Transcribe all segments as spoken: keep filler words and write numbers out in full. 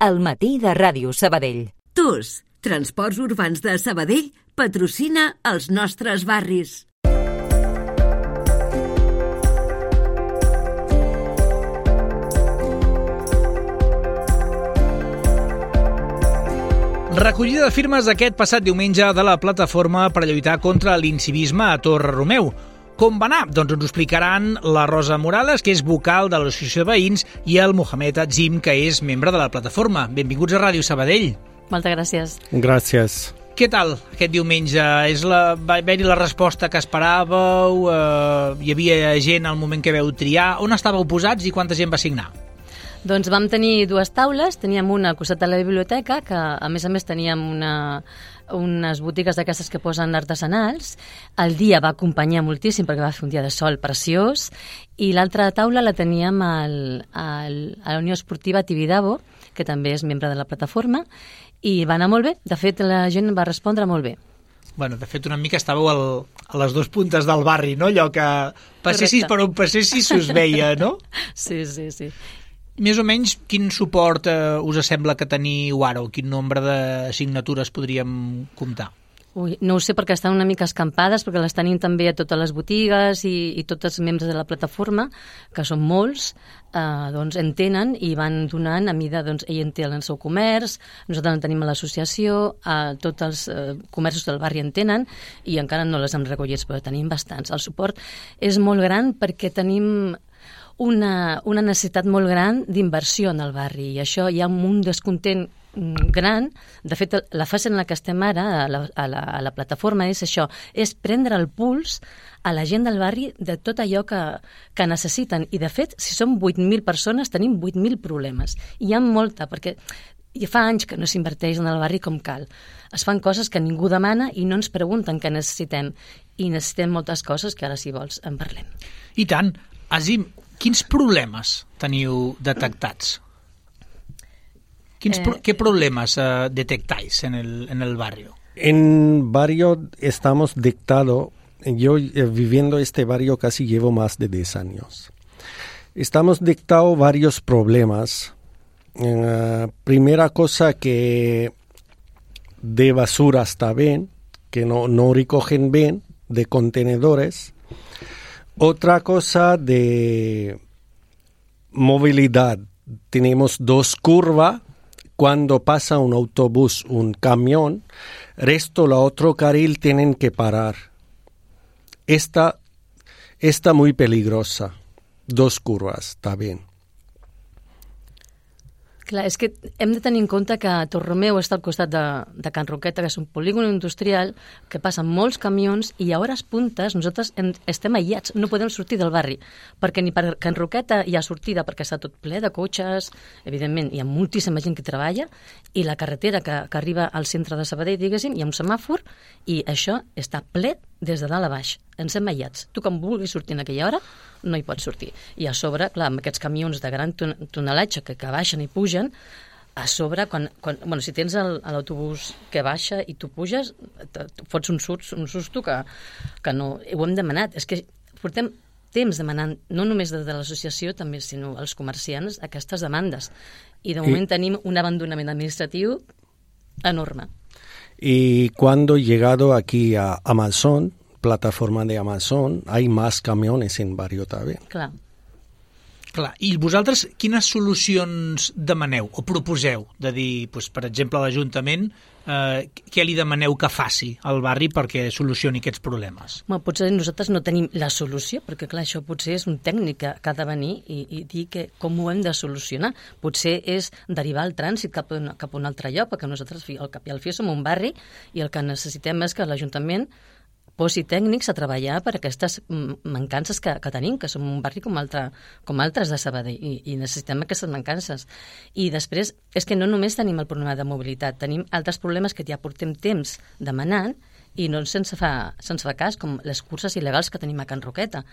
al matí de Ràdio Sabadell. T U S, Transports Urbans de Sabadell, patrocina els nostres barris. Recollida de firmes aquest passat diumenge de la plataforma per lluitar contra l'incivisme a Torre Romeu. Com va anar? Doncs ens ho explicaran la Rosa Morales, que és vocal de l'Associació de Veïns, i el Mohamed Azim, que és membre de la plataforma. Benvinguts a Ràdio Sabadell. Moltes gràcies. Gràcies. Què tal aquest diumenge? És la, va haver-hi la resposta que esperàveu? Eh, hi havia gent al moment que veu triar? On estàveu posats i quanta gent va signar? Doncs vam tenir dues taules, teníem una al costat de la biblioteca, que a més a més teníem una, unes botigues d'aquestes que posen artesanals. El dia va acompanyar moltíssim perquè va fer un dia de sol preciós, i l'altra taula la teníem al, al, a la Unió Esportiva Tibidabo, que també és membre de la plataforma, i va anar molt bé. De fet, la gent va respondre molt bé. Bueno, de fet, una mica estàveu al, a les dues puntes del barri, no? Allò que passessis Correcte. per on passessis us veia, no? Sí, sí, sí. Més o menys, quin suport eh, us sembla que teniu ara, o quin nombre de signatures podríem comptar? Ui, no ho sé, perquè estan una mica escampades, perquè les tenim també a totes les botigues i, i tots els membres de la plataforma, que són molts, eh, doncs en tenen i van donant a mida, doncs ell en té el seu comerç, nosaltres en tenim a l'associació, eh, tots els eh, comerços del barri en tenen, i encara no les hem recollit, però tenim bastants. El suport és molt gran perquè tenim una, una necessitat molt gran d'inversió en el barri, i això hi ha un descontent gran. De fet, la fase en la que estem ara a la, a la, a la plataforma és això, és prendre el puls a la gent del barri de tot allò que, que necessiten, i de fet, si som vuit mil persones, tenim vuit mil problemes, i hi ha molta, perquè ja fa anys que no s'inverteix en el barri com cal. Es fan coses que ningú demana i no ens pregunten què necessitem, i necessitem moltes coses que ara, si vols, en parlem. I tant. Azim, quins problemes teniu detectats? Quins Eh, pro ¿Qué problemas uh, detectáis en el, en el barrio? En barrio estamos dictado, yo eh, viviendo este barrio casi llevo más de diez años. Estamos dictado varios problemas. Uh, primera cosa, que de basura está bien, que no, no recogen bien, de contenedores. Otra cosa, de movilidad. Tenemos dos curvas. Cuando pasa un autobús, un camión, resto la otro carril tienen que parar. Esta está muy peligrosa. Dos curvas, está bien. Clar, és que hem de tenir en compte que Torromeu està al costat de, de Can Roqueta, que és un polígon industrial que passen molts camions, i a hores puntes nosaltres hem, estem aïllats, no podem sortir del barri, perquè ni per Can Roqueta hi ha sortida, perquè està tot ple de cotxes, evidentment hi ha moltíssima gent que treballa, i la carretera que, que arriba al centre de Sabadell, diguéssim, hi ha un semàfor, i això està ple des de dalt a baix. Ens hem aïllats. Tu, quan vulguis sortir en aquella hora, no hi pots sortir. I a sobre, clar, amb aquests camions de gran ton tonelatge que, que baixen i pugen, a sobre, quan, quan, bueno, si tens l'autobús que baixa i tu puges, te, te fots un susto, un susto que, que no... Ho hem demanat. És que portem temps demanant, no només des de l'associació, també, sinó els comerciants, aquestes demandes. I de moment I... tenim un abandonament administratiu enorme. Y cuando he llegado aquí a Amazon, plataforma de Amazon, hay más camiones en barrio también. Clar. Clar. I vosaltres quines solucions demaneu o proposeu? De dir, doncs, per exemple, a l'Ajuntament, eh, què li demaneu que faci al barri perquè solucioni aquests problemes? Bueno, potser nosaltres no tenim la solució, perquè clar, això potser és un tècnic que, que ha de venir i, i dir que com ho hem de solucionar. Potser és derivar el trànsit cap a, un, cap a un altre lloc, perquè nosaltres al cap i al fi som un barri i el que necessitem és que l'Ajuntament posi tècnics a treballar per aquestes mancances que, que tenim, que som un barri com, altre, com altres de Sabadell, i, i necessitem aquestes mancances. I després, és que no només tenim el problema de mobilitat, tenim altres problemes que ja portem temps demanant i no se'ns fa, se'ns fa cas, com les curses il·legals que tenim a Can Roqueta.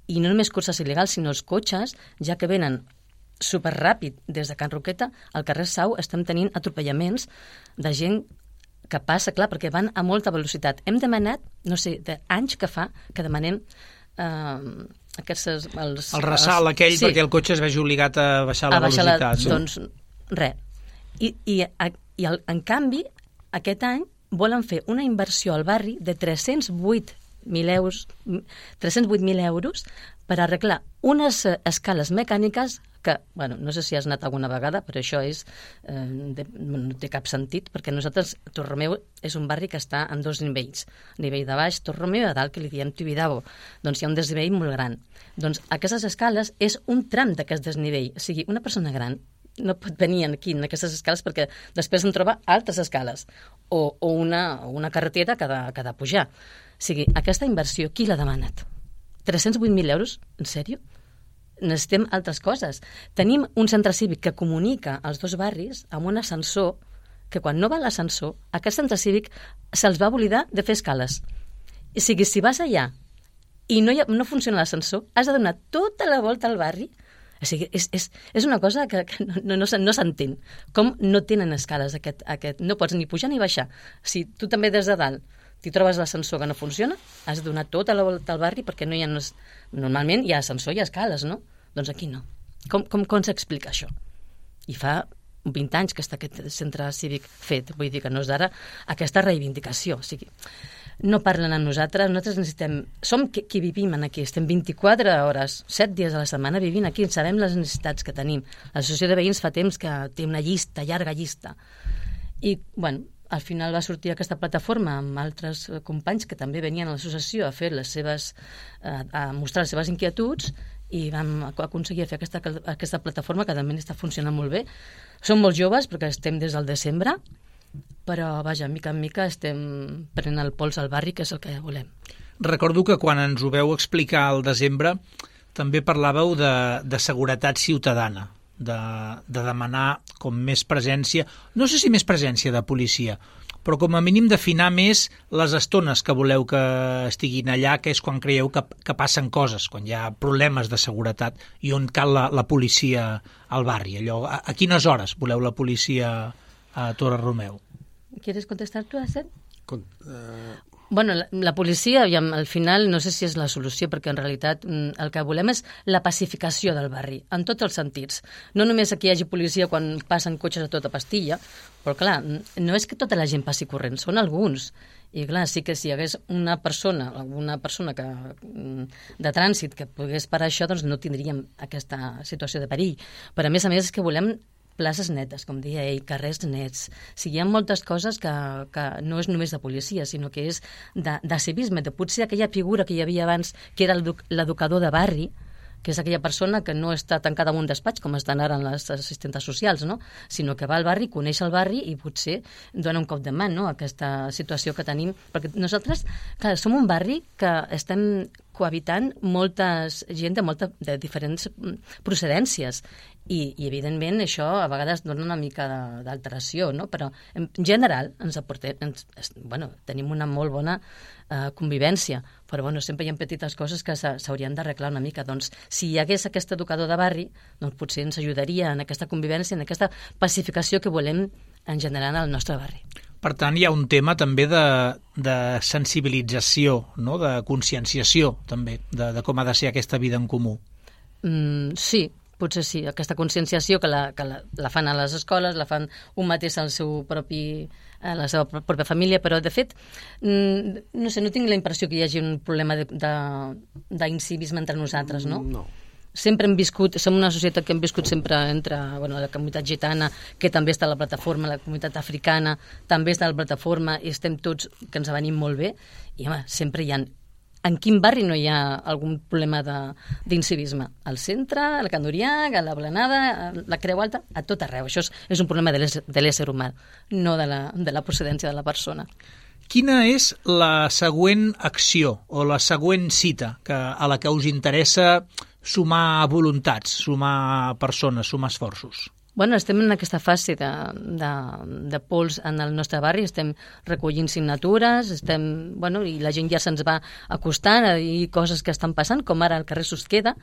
I no només curses il·legals, sinó els cotxes, ja que venen superràpid des de Can Roqueta, al carrer Sau estem tenint atropellaments de gent que passa, clar, perquè van a molta velocitat. Hem demanat, no sé, d'anys que fa, que demanem eh, aquests... Els, el ressalt els, aquell, sí, perquè el cotxe es vegi obligat a baixar la a baixar velocitat. La, doncs, res. I, i, i el, en canvi, aquest any volen fer una inversió al barri de tres-cents vuit mil euros, tres-cents vuit mil euros per arreglar unes escales mecàniques que, bueno, no sé si has anat alguna vegada, però això és, eh, de, no té cap sentit, perquè nosaltres, Torromeu és un barri que està en dos nivells, nivell de baix, Torromeu, i a dalt, que li diem Tibidabo. Doncs hi ha un desnivell molt gran. Doncs aquestes escales és un tram d'aquest desnivell, o sigui, una persona gran no pot venir aquí, en aquestes escales, perquè després en troba altres escales, o, o una, una carretera que ha, de, que ha de pujar. O sigui, aquesta inversió, qui l'ha demanat? tres-cents vuit mil euros? En sèrio? Necessitem altres coses. Tenim un centre cívic que comunica els dos barris amb un ascensor que quan no va a l'ascensor, aquest centre cívic se'ls va oblidar de fer escales. O sigui, si vas allà i no, hi ha, no funciona l'ascensor, has de donar tota la volta al barri. O sigui, és, és, és una cosa que, que no, no, no s'entén. Com no tenen escales aquest, aquest... No pots ni pujar ni baixar. Si tu també des de dalt t'hi trobes l'ascensor que no funciona, has de donar tota la volta al barri perquè no hi ha... Normalment hi ha ascensor i escales, no? Doncs aquí no. Com, com, com s'explica això? I fa vint anys que està aquest centre cívic fet. Vull dir que no és d'ara aquesta reivindicació. O sigui, no parlen amb nosaltres, nosaltres necessitem... Som qui, qui vivim aquí, estem vint-i-quatre hores, set dies a la setmana vivint aquí, sabem les necessitats que tenim. L'associació de veïns fa temps que té una llista, llarga llista. I, bueno, al final va sortir aquesta plataforma amb altres companys que també venien a l'associació a fer les seves, a mostrar les seves inquietuds, i vam aconseguir fer aquesta, aquesta plataforma que també està funcionant molt bé. Som molt joves perquè estem des del desembre, però vaja, mica en mica estem prenent el pols al barri, que és el que volem. Recordo que quan ens ho veu explicar al desembre també parlàveu de, de seguretat ciutadana, de, de demanar com més presència, no sé si més presència de policia, però com a mínim d'afinar més les estones que voleu que estiguin allà, que és quan creieu que, que passen coses, quan hi ha problemes de seguretat i on cal la, la policia al barri. Allò, a, a quines hores voleu la policia a Torre Romeu? ¿Quieres contestar tú, Asen? Con, uh... Bueno, la, la policia, al final, no sé si és la solució, perquè en realitat el que volem és la pacificació del barri, en tots els sentits. No només que hi hagi policia quan passen cotxes a tota pastilla, però clar, no és que tota la gent passi corrent, són alguns. I clar, sí que si hi hagués una persona, alguna persona que, de trànsit que pogués parar això, doncs no tindríem aquesta situació de perill. Però a més a més és que volem places netes, com deia ell, carrers nets. O sigui, hi ha moltes coses que, que no és només de policia, sinó que és de, de civisme, de potser aquella figura que hi havia abans, que era l'educador de barri, que és aquella persona que no està tancada en un despatx, com estan ara les assistentes socials, no? Sinó que va al barri, coneix el barri i potser dona un cop de mà, no?, a aquesta situació que tenim. Perquè nosaltres, clar, som un barri que estem cohabitant moltes gent de, molta, de diferents procedències i, i evidentment això a vegades dona una mica d'alteració, no? Però en general ens aportem, ens, bueno, tenim una molt bona eh, convivència, però bueno, sempre hi ha petites coses que s'haurien d'arreglar una mica. Doncs si hi hagués aquest educador de barri, doncs potser ens ajudaria en aquesta convivència, en aquesta pacificació que volem en general al nostre barri. Per tant, hi ha un tema també de, de sensibilització, no?, de conscienciació també, de, de com ha de ser aquesta vida en comú. Mm, sí, potser sí. Aquesta conscienciació que, la, que la, la fan a les escoles, la fan un mateix al seu propi, a la seva pròpia família, però de fet, mm, no sé, no tinc la impressió que hi hagi un problema d'incivisme entre nosaltres, no? No. Sempre hem viscut, som una societat que hem viscut sempre entre, bueno, la comunitat gitana, que també està a la plataforma, la comunitat africana, també està a la plataforma, i estem tots, que ens venim molt bé, i home, sempre hi ha... En quin barri no hi ha algun problema d'incivisme? Al centre, a la Can d'Uriac, a la Blanada, a la Creu Alta, a tot arreu. Això és, és un problema de l'ésser humà, no de la, de la procedència de la persona. Quina és la següent acció o la següent cita que, a la que us interessa sumar voluntats, sumar persones, sumar esforços? Bueno, estem en aquesta fase de, de, de pols en el nostre barri, estem recollint signatures, estem, bueno, i la gent ja se'ns va acostant a dir coses que estan passant, com ara al carrer Susqueda,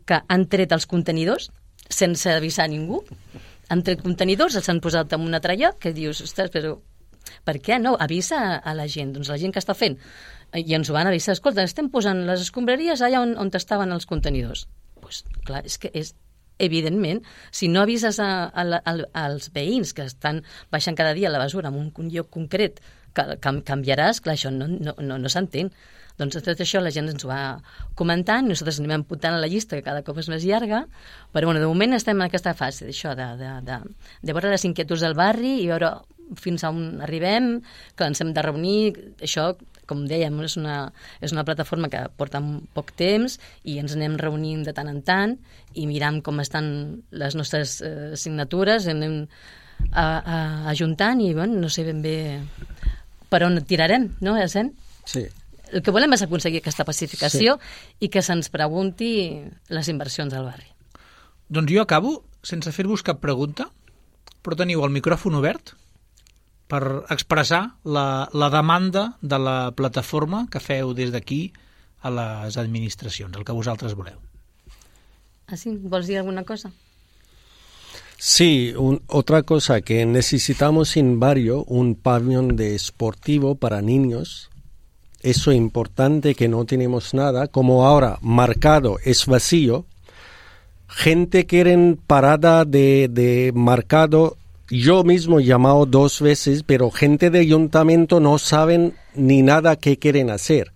que han tret els contenidors sense avisar a ningú. Han tret contenidors, els han posat en una tralla, que dius, ostres, però per què no? Avisa a la gent, doncs la gent que està fent. I ens ho van avisar, escolta, estem posant les escombraries allà on, on estaven els contenidors. Doncs pues, clar, és que és evidentment, si no avises a, a, a, als veïns que estan baixant cada dia la basura en un, un lloc concret, que, que canviaràs, clar, això no, no, no, no s'entén. Doncs tot això la gent ens ho va comentant, nosaltres anem apuntant a la llista, que cada cop és més llarga, però bueno, de moment estem en aquesta fase d'això, de, de, de, de veure les inquietuds del barri i veure fins a on arribem, que ens hem de reunir, això, com dèiem, és una, és una plataforma que porta poc temps i ens anem reunint de tant en tant i miram com estan les nostres eh, signatures, anem a, a, ajuntant i, bueno, no sé ben bé per on tirarem, no, Essent? Sí. El que volem és aconseguir aquesta pacificació sí. i que se'ns pregunti les inversions del barri. Doncs jo acabo sense fer-vos cap pregunta, però teniu el micròfon obert per expressar la, la demanda de la plataforma que feu des d'aquí a les administracions, el que vosaltres voleu. Ah, sí? Vols dir alguna cosa? Sí, un, otra cosa, que necesitamos en barrio un pabellón deportivo para niños. Eso es importante, que no tenemos nada, como ahora marcado es vacío, gente quieren parada de, de marcado, yo mismo he llamado dos veces, pero gente de ayuntamiento no saben ni nada qué quieren hacer.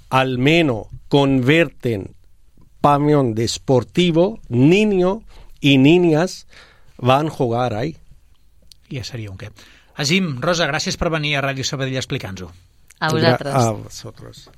Al menos convierten pabellón deportivo, niños y niñas van a jugar ahí. Ja seria un què. Azim, Rosa, gràcies per venir a Ràdio Sabadell a explicar-nos-ho. A vosaltres. A vosotros.